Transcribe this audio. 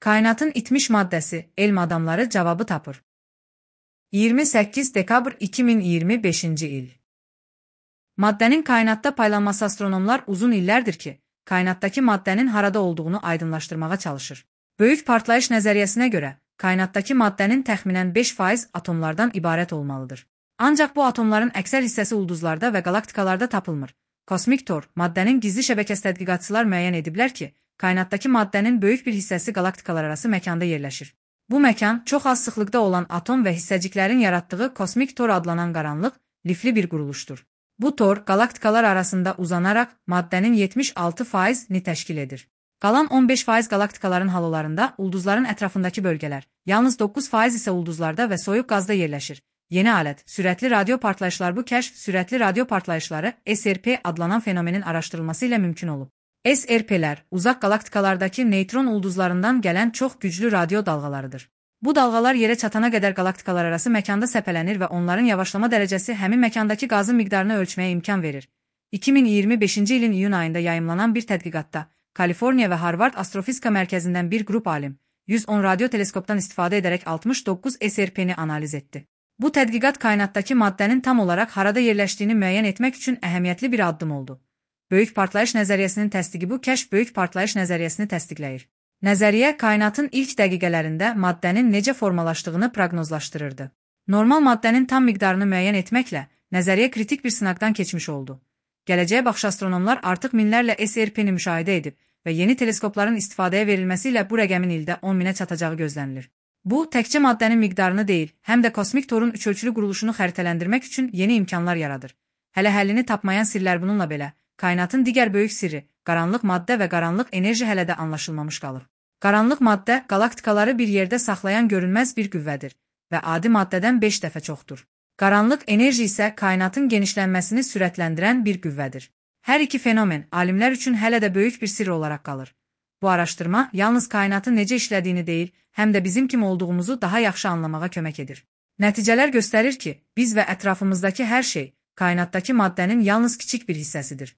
Kainatın itmiş maddəsi, elm adamları cavabı tapır. 28 dekabr 2025-ci il. Maddənin kainatda paylanması astronomlar uzun illərdir ki, kainatdakı maddənin harada olduğunu aydınlaşdırmağa çalışır. Böyük partlayış nəzəriyyəsinə görə, kainatdakı maddənin təxminən 5% atomlardan ibarət olmalıdır. Ancaq bu atomların əksər hissəsi ulduzlarda və qalaktikalarda tapılmır. Kosmik Tor, maddənin gizli şəbəkəsi tədqiqatçılar müəyyən ediblər ki, kainatdakı maddənin böyük bir hissəsi qalaktikalar arası məkanda yerləşir. Bu məkan çox az sıxlıqda olan atom və hissəciklərin yaratdığı Kosmik Tor adlanan qaranlıq, lifli bir quruluşdur. Bu tor qalaktikalar arasında uzanaraq maddənin 76%-ni təşkil edir. Qalan 15% qalaktikaların halolarında ulduzların ətrafındakı bölgələr, yalnız 9% isə ulduzlarda və soyuq qazda yerləşir. Yeni alət, sürətli radio partlayışlar. Bu kəşf sürətli radio partlayışları SRP adlanan fenomenin araşdırılması ilə mümkün olub. SRP-lər uzaq qalaktikalardakı neytron ulduzlarından gələn çox güclü radio dalğalarıdır. Bu dalğalar yerə çatana qədər qalaktikalar arası məkanda səpələnir və onların yavaşlama dərəcəsi həmin məkandakı qazın miqdarını ölçməyə imkan verir. 2025-ci ilin iyun ayında yayımlanan bir tədqiqatda Kaliforniya və Harvard Astrofizika Mərkəzindən bir qrup alim 110 radio teleskopdan istifadə edərək 69 SRP-ni analiz etdi. Bu tədqiqat kainatdakı maddənin tam olaraq harada yerləşdiyini müəyyən etmək üçün əhəmiyyətli bir addım oldu. Böyük partlayış nəzəriyyəsinin təsdiqi. Bu kəşf böyük partlayış nəzəriyyəsini təsdiqləyir. Nəzəriyyə kainatın ilk dəqiqələrində maddənin necə formalaşdığını proqnozlaşdırırdı. Normal maddənin tam miqdarını müəyyən etməklə nəzəriyyə kritik bir sınaqdan keçmiş oldu. Gələcəyə baxış astronomlar artıq minlərlə SRP-ni müşahidə edib və yeni teleskopların istifadəyə verilməsi ilə bu rəqəmin ildə 10 minə çatacağı gözlənilir. Bu, təkcə maddənin miqdarını deyil, həm də kosmik torun üçölçülü quruluşunu xəritələndirmək üçün yeni imkanlar yaradır. Hələ həllini tapmayan sirlər bununla belə, kainatın digər böyük sirri, qaranlıq maddə və qaranlıq enerji hələ də anlaşılmamış qalır. Qaranlıq maddə, qalaktikaları bir yerdə saxlayan görünməz bir qüvvədir və adi maddədən 5 dəfə çoxdur. Qaranlıq enerji isə kainatın genişlənməsini sürətləndirən bir qüvvədir. Hər iki fenomen alimlər üçün hələ də böyük bir sirr olaraq qalır. Bu araşdırma yalnız kainatın necə işlədiyini deyil, həm də bizim kim olduğumuzu daha yaxşı anlamağa kömək edir. Nəticələr göstərir ki, biz və ətrafımızdakı hər şey kainatdakı maddənin yalnız kiçik bir hissəsidir.